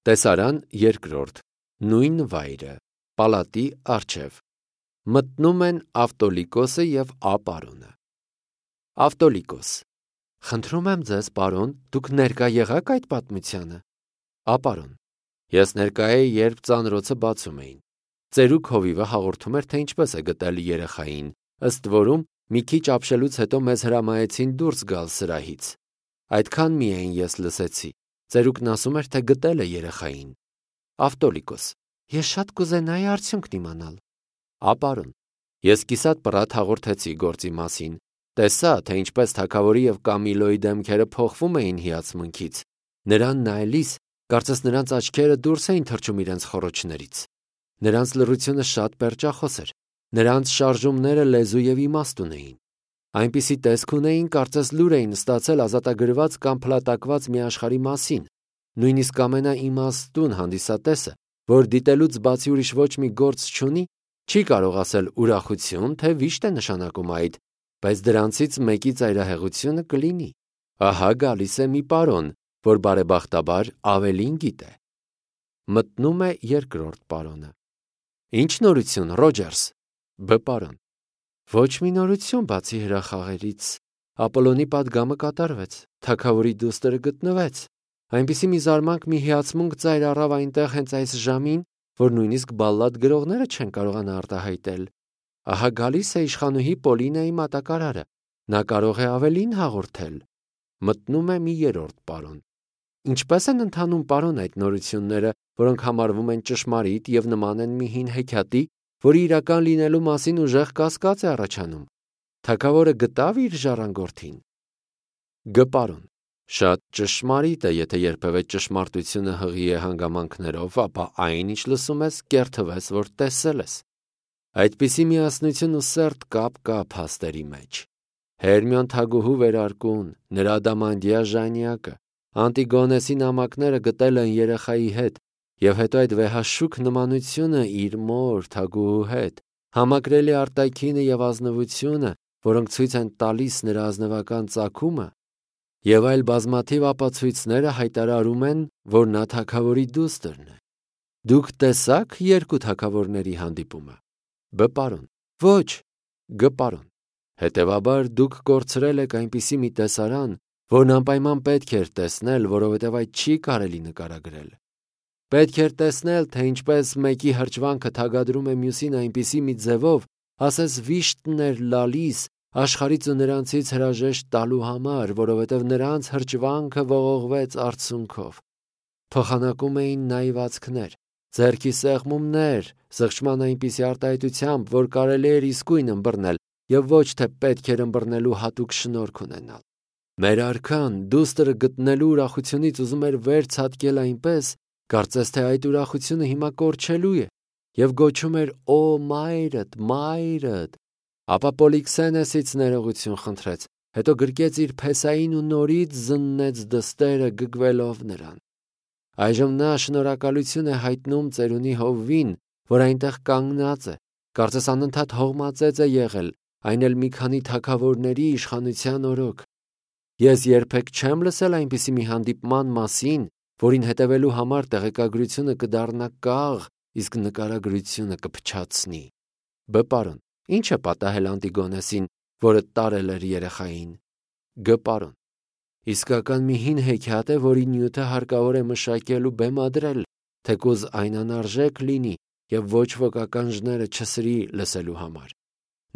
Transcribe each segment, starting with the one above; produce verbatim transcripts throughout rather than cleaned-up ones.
Տեսարան երկրորդ, նույն վայրը, պալատի առջև, մտնում են Ավտոլիկոսը և Ապարոնը։ Ավտոլիկոս. խնդրում եմ ձեզ, պարոն, դուք ներկա եղաք այդ պատմությանը։ Ապարոն. ես ներկա էի, երբ ծանրոցը բացում էին։ Ծերուկ հովիվը հաղորդում էր, թե ինչպես է գտել երեխային, ըստ որում մի քիչ ապշելուց հետո մեզ հրամայեցին դուրս գալ սրահից։ Այդքան միայն ես լսեցի։ Ծերուկն ասում էր, թե գտել է երեխային։ Ավտոլիկոս. ես շատ կուզենայի արդյունքն իմանալ։ Ապարոն. ես կիսատ պռատ հաղորդեցի գործի մասին, տեսա, թե ինչպես թագավորի և Կամիլոյի դեմքերը փոխվում էին հիացմունքից։ Նրան նայելիս, կարծես նրանց աչքերը դուրս էին թռչում իրենց խոռոչներից։ Նրանց լռությունը շատ պերճախոս էր, նրանց շարժումները լեզու և իմաստ ունեին։ Այնպիսի տեսք ունեին, կարծես լուր էին ստացել ազատագրված կամ փլատակված մի աշխարհի մասին։ Նույնիսկ ամենաիմաստուն հանդիսատեսը, որ դիտելուց բացի ուրիշ ոչ մի գործ չունի, չի կարող ասել ուրախություն, թե վիշտ է նշանակում այդ, բայց դրանցից մեկի ծայրահեղությունը կլինի։ Ահա գալիս է մի պարոն, որ բարեբախտաբար ավելին գիտե։ Մտնում է երկրորդ պարոնը։ Ինչ նորություն, Ռոջերս։ Բ պարոն. ոչ մի նորություն բացի հրախաղերից։ Ապոլոնի պատգամը կատարվեց, թագավորի դուստրը գտնվեց։ Այնպիսի մի զարմանք, մի հիացմունք ծայր առավ այնտեղ հենց այս ժամին, որ նույնիսկ բալլադ գրողները չեն կարողանա արտահայտել։ Ահա գալիս է իշխանուհի Պոլինայի մատակարարը, նա կարող է ավելին հաղորդել։ Մտնում է մի երրորդ պարոն։ Ինչպե՞ս են ընթանում, պարոն, այդ նորությունները, որոնք համարվում են ճշմարիտ և նման են մի հին հեքիաթի, որի իրական լինելու մասին ուժեղ կասկած է առաջանում։ Թագավորը գտավ իր ժառանգորդին։ Գ պարոն. շատ ճշմարիտ է, եթե երբևէ ճշմարտությունը հղի է հանգամանքներով, ապա այն, ինչ լսում ես, կերթվես, որ տեսել ես։ Այդպիսի միասնություն ու սերտ կապ կա փաստերի մեջ։ Հերմիոն թագուհու վերարկուն, նրա ադամանդյա ժանյակը, Անտիգոնեսի նամակները գտել են երեխայի հետ, և հետո այդ վեհաշուք նմանությունը իր մոր թագուհու հետ, համակրելի արտաքինը և ազնվությունը, որոնք ցույց են տալիս նրա ազնվական ծագումը, և այլ բազմաթիվ ապացույցները հայտարարում են, որ նա թագավորի դուստրն է։ Դուք տեսա՞ք երկու թագավորների հանդիպումը։ Բ պարոն. ոչ։ Գ պարոն. հետևաբար դուք կորցրել եք այնպիսի մի տեսարան, որն անպայման պետք էր տեսնել, որովհետև այդ չի կարելի նկարագրել։ Պետք էր տեսնել, թե ինչպես մեկի հրճվանքը թագադրում է մյուսին այնպիսի մի ձևով, ասես վիշտն էր լալիս աշխարհից ու նրանցից հրաժեշտ տալու համար, որովհետև նրանց հրճվանքը ողողվեց արցունքով։ Փոխանակում էին նայվածքներ, ձեռքի սեղմումներ, զղջման այնպիսի արտահայտությամբ, որ կարելի էր իսկույն ըմբռնել և ոչ թե պետք էր ըմբռնելու հատուկ շնորհք ունենալ։ Մեր արքան դուստրը գտնելու ուրախությունից ուզում էր վեր ցատկել այնպես, կարծես թե այդ ուրախությունը հիմա կորչելու է, և գոչում էր «Օ մայրդ, մայրդ», ապա Պոլիքսենեսից ներողություն խնդրեց, հետո գրկեց իր փեսային ու նորից զննեց դստերը գգվելով նրան։ Այժմ նա շնորհակալություն է հայտնում ծերունի հովվին, որ այնտեղ կանգնած է, կարծես անընդհատ հողմածեց է եղել, այն էլ մի քանի թագավորների իշխանության օրոք։ Ես երբեք չեմ լսել այնպիսի մի հանդիպման մասին, որին հետևելու համար տեղեկագրությունը կդառնա կաղ, իսկ նկարագրությունը կփչացնի։ Բ պարոն. Ինչ է պատահել Անտիգոնեսին, որը տարել էր երեխային։ Գ պարոն. իսկական մի հին հեքիաթ է, որի նյութը հարկավոր է մշակել ու բեմադրել, թեկուզ այն անարժեք լինի և ոչ ոք ականջները չսրի լսելու համար։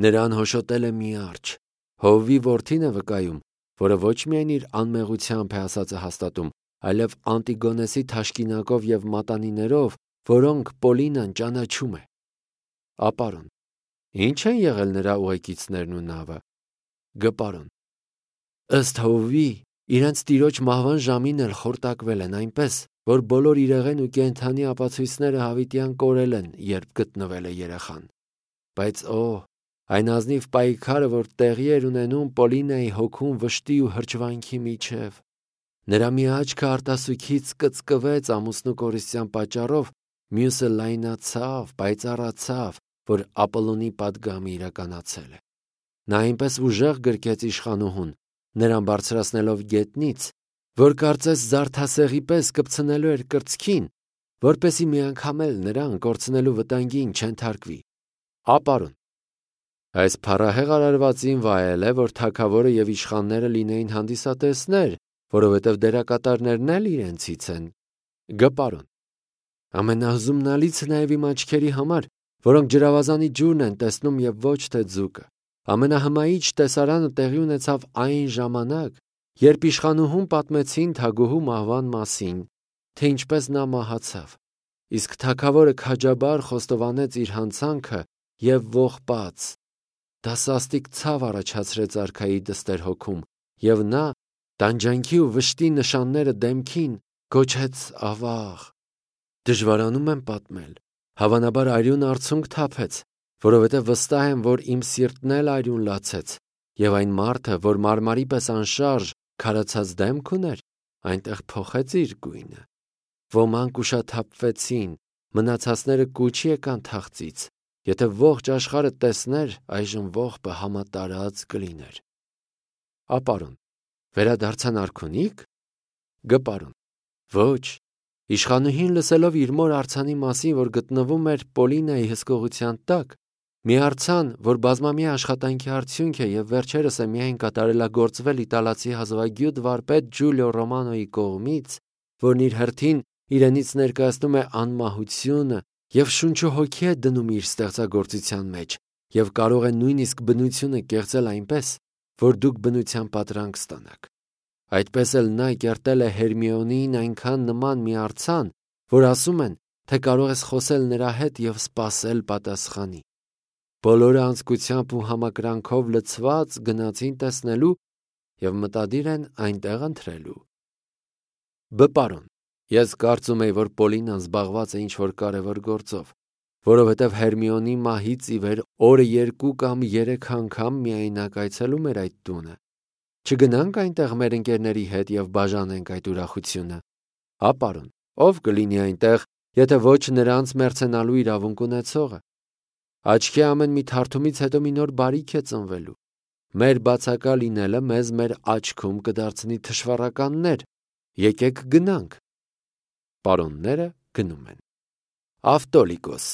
Նրան հոշոտել է մի արջը, Հովվի որդին է վկայում, որը ոչ միայն իր անմեղությամբ է ասածը հաստատում, այլև Անտիգոնեսի թաշկինակով և մատանիներով, որոնք Պոլինան ճանաչում է։ Ապարոն. Ինչ են եղել նրա ուղեկիցներն ու նավը։ Գ պարոն. ըստ Հովվի, իրենց տիրոջ մահվան ժամին էլ խորտակվել են այնպես, որ բոլոր իրեղեն ու կենդանի ապացույցները հավիտյան կորել են, երբ գտնվել է երեխան։ Բայց օ, այն ազնիվ պայքարը, որ տեղի էր ունենում Պոլինայի հոգում վշտի ու հրճվանքի միջև։ Նրա մի աչքը արտասուքից կծկվեց ամուսնու կորստյան պատճառով, մյուսը լայնացավ, պայծառացավ, որ Ապոլոնի պատգամը իրականացել է։ Նա այնպես ուժեղ գրկեց իշխանուհուն, նրան բարձրացնելով գետնից, որ կարծես զարդասեղի պես կպցնելու էր կրծքին, որպեսզի մի անգամ էլ նրան կորցնելու վտանգին չենթարկվի։ Ապարոն։ Այս փառահեղ արարվածին վայել է, որ թագավորը եւ իշխանները լինեին հանդիսատեսներ, որովհետեւ դերակատարներն էլ իրենցից են։ Գպարոն։ Ամենահզումնալիցը նաեւ իմ աչքերի համար, որոնք ջրավազանի ջուրն են տեսնում եւ ոչ թե ձուկը։ Ամենահմայիչ տեսարանը տեղի ունեցավ այն ժամանակ, երբ իշխանուհուն պատմեցին թագուհու մահվան մասին, թե ինչպես նա մահացավ։ Իսկ թագավորը քաջաբար խոստովանեց իր հանցանքը եւ ողբաց։ Դա սաստիկ ցավ առաջացրեց արքայի դստեր հոգում, եւ նա, տանջանքի ու վշտի նշանները դեմքին, գոչեց ավաղ։ Դժվարանում եմ պատմել, հավանաբար արյուն արցունք թափեց, որովհետև վստահ եմ, որ իմ սիրտն էլ արյուն լացեց, եւ այն մարդը, որ մարմարի պես անշարժ, քարացած դեմք ուներ, այնտեղ փոխեց իր գույնը։ Ոմանք ուշաթափվեցին, մնացածները կուչ եկան թախծից։ Եթե ողջ աշխարհը տեսներ, այժմ ողբը համատարած կլիներ։ Ապարոն։ Վերադարձան արքունի՞ք։ Գպարոն։ Ոչ։ Իշխանուհին լսելով իր մոր արձանի մասին, որ գտնվում էր Պոլինայի հսկողության տակ, մի արձան, որ բազմամյա աշխատանքի արդյունք է եւ վերջերս է միայն կատարելագործվել իտալացի հազվագյուտ վարպետ Ջուլիո Ռոմանոյի կողմից, որն իր հերթին իրենից ներկայացնում է անմահությունը եւ շունչ ու հոգի է դնում իր ստեղծագործության մեջ եւ կարող է նույնիսկ բնությունը կեղծել այնպես, որ դուք բնության պատրանք ստանաք։ Այդպես էլ նա կերտել է Հերմիոնին այնքան նման մի արձան, որ ասում են, թե կարող ես խոսել նրա հետ եւ սպասել պատասխանի։ Բոլորը անձկությամբ ու համակրանքով լցված գնացին տեսնելու եւ մտադիր են այնտեղ ընթրելու։ Բպարոն։ Ես կարծում եի, որ Պոլինան զբաղված է ինչ-որ կարևոր գործով, որովհետև Հերմիոնի մահից ի վեր օրը երկու կամ երեք անգամ միայնակ այցելում էր այդ տունը։ Չգնանք այնտեղ մեր ընկերների հետ եւ բաժանենք այդ ուրախությունը։ Ապարոն, ով կլինի այնտեղ, եթե ոչ նրանց մերցենալու իրավունք ունեցողը։ Աչքի ամեն մի թարթումից հետո մի նոր բարիք է ծնվելու։ Մեր բացակա լինելը մեզ մեր աչքում կդարձնի թշվառականներ։ Եկեք գնանք։ Պարոնները գնում են։ Ավտոլիկոս։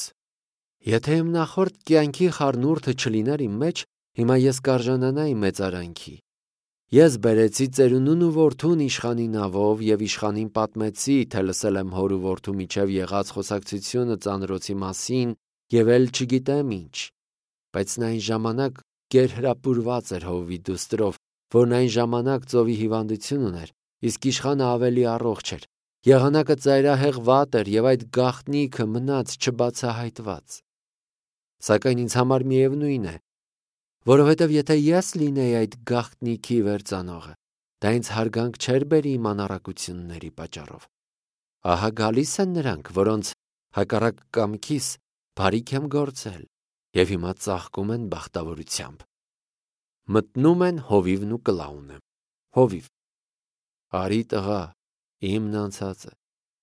Եթե իմ նախորդ կյանքի խառնուրդը չլիներ իմ մեջ, հիմա ես կարժանանայի մեծարանքի։ Ես բերեցի ծերունուն ու որդուն իշխանի նավով եւ իշխանին պատմեցի, թե լսել եմ հոր ու որդու միջև եղած խոսակցությունը ծանրոցի մասին եւ էլ չգիտեմ ինչ։ Բայց նա այն ժամանակ գերհրապուրված էր հովվի դուստրով, որն այն ժամանակ ծովի հիվանդություն ուներ, իսկ իշխանը ավելի առողջ էր։ Եղանակը ծայրահեղ վատ էր եւ այդ գաղտնիքը մնաց չբացահայտված։ Սակայն ինձ համար միևնույն է, որովհետև եթե ես լինեի այդ գաղտնիքի վերծանողը, դա ինձ հարգանք չէր բերի իմ անառակությունների պատճառով։ Ահա գալիս են նրանք, որոնց հակառակ կամքիս բարիք եմ գործել եւ հիմա ծաղկում են բախտավորությամբ։ Մտնում են հովիվն ու կլաունը։ Հովիվ. Արի տղա, իմն անցածը,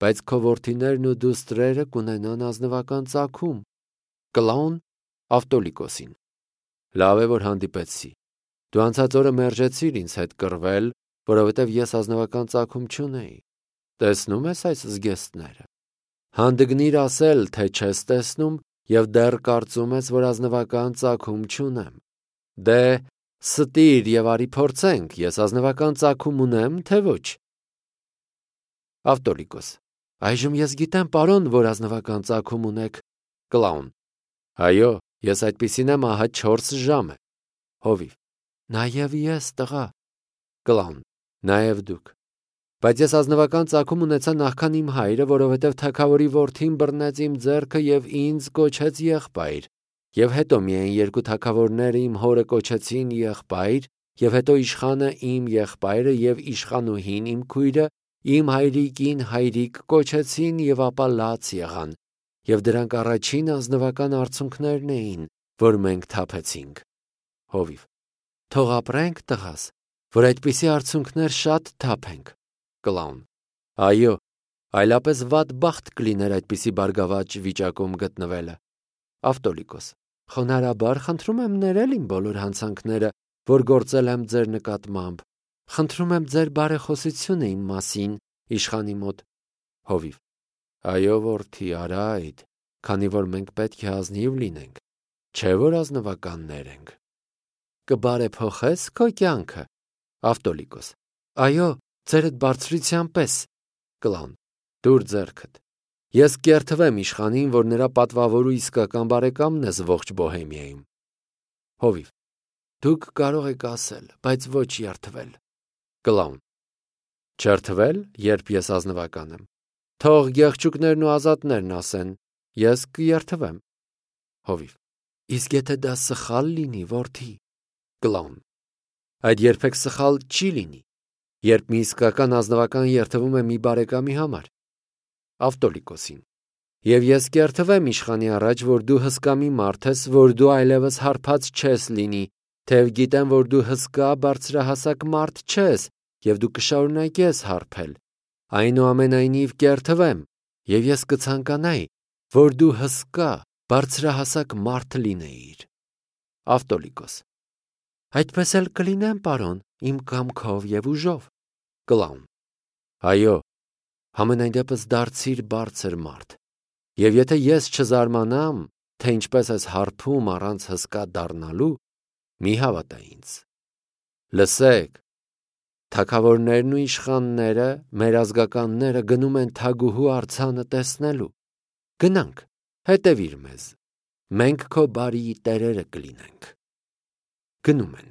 բայց քո որդիներն ու դուստրերը կունենան ազնվական ծագում։ Կլաուն Ավտոլիկոսին. Լավ է, որ հանդիպեցի։ Դու անցած օրը մերժեցիր ինձ հետ կռվել, որովհետև ես ազնվական ծագում չունեի։ Տեսնում ես այս զգեստները։ Հանդգնիր ասել, թե չես տեսնում եւ դեռ կարծում ես, որ ազնվական ծագում չունեմ։ Դե ստիր եւ արի փորձենք, ես ազնվական ծագում ունեմ, թե ոչ։ Ավտոլիկոս. Այժմ ես գիտեմ, պարոն, որ ազնվական ծագում ունեք։ Կլաուն. Այո, ես այդպիսին եմ ահա չորս ժամ է։ Հովիվ. Նաեւ ես, տղա։ Կլաուն. Նաեւ դուք։ Բայց ես ազնվական ծագում ունեցա նախքան իմ հայրը, որովհետև թագավորի որդին բռնեց իմ ձեռքը եւ ինձ կոչեց եղբայր։ Եվ հետո միայն երկու թագավորները իմ հորը կոչեցին եղբայր, եւ հետո իշխանը իմ եղբայրը եւ իշխանուհին իմ քույրը իմ հայրիկին հայրիկ կոչեցին եւ ապա լաց եղան, եւ դրանք առաջին ազնվական արցունքներն էին, որ մենք թափեցինք։ Հովիվ. Թող ապրենք, տղաս, որ այդպիսի արցունքներ շատ թափենք։ Կլաուն. Այո, այլապես վատ բախտ կլիներ այդպիսի բարգավաճ վիճակում գտնվելը։ Ավտոլիկոս. Խոնարհաբար խնդրում եմ ներել իմ բոլոր հանցանքները, որ գործել եմ ձեր նկատմամբ։ Խնդրում եմ ձեր բարեխոսությունը իմ մասին իշխանի մոտ։ Հովիվ. Այո, որդի, արա այդ, քանի որ մենք պետք է ազնիվ լինենք, չէ որ ազնվականներ ենք։ Կբարեփոխես քո կյանքը։ Ավտոլիկոս. Այո, ձերդ բարձրության պես։ Կլան. Դուր ձեռքդ։ Ես կերթվեմ իշխանին, որ նրա պատվավոր ու իսկական բարեկամն ես ողջ Բոհեմիայում։ Հովիվ. Դուք կարող եք ասել, բայց ոչ երթվել։ Կլաուն. Չերթվել, երբ ես ազնվական եմ։ Թող գեղչուկներն ու ազատներն ասեն, ես կերթվեմ։ Հովիվ. Իսկ եթե դա սխալ լինի, որդի։ Կլաուն. Այդ երբեք սխալ չի լինի, երբ մի իսկական ազնվական երթվում է մի բարեկամի համար։ Ավտոլիկոսին. Եվ ես կերթվեմ իշխանի առաջ, որ դու հսկա մի մարդ ես, որ դու այլևս հարբած չես լինի, թեև գիտեմ, որ դու հսկա բարձրահասակ մարդ չես, և դու կշարունակես հարբել։ Այնուամենայնիվ կերթվեմ, և ես կցանկանայի, որ դու հսկա բարձրահասակ մարդ լինեիր։ Ավտոլիկոս. Այդպես էլ կլինեմ, պարոն, իմ կամքով և ուժով։ Կլաուն. Այո, համենայն դեպս դարձիր բարձր մարդ, և եթե ես չզարմանամ, թե ինչպես ես հարբում առանց հսկա դառնալու, մի հավատա ինձ։ Լսեք, թագավորներն ու իշխանները, մեր ազգականները գնում են թագուհու արձանը տեսնելու։ Գնանք, հետևիր մեզ, մենք քո բարիի տերերը կլինենք։ Գնում են։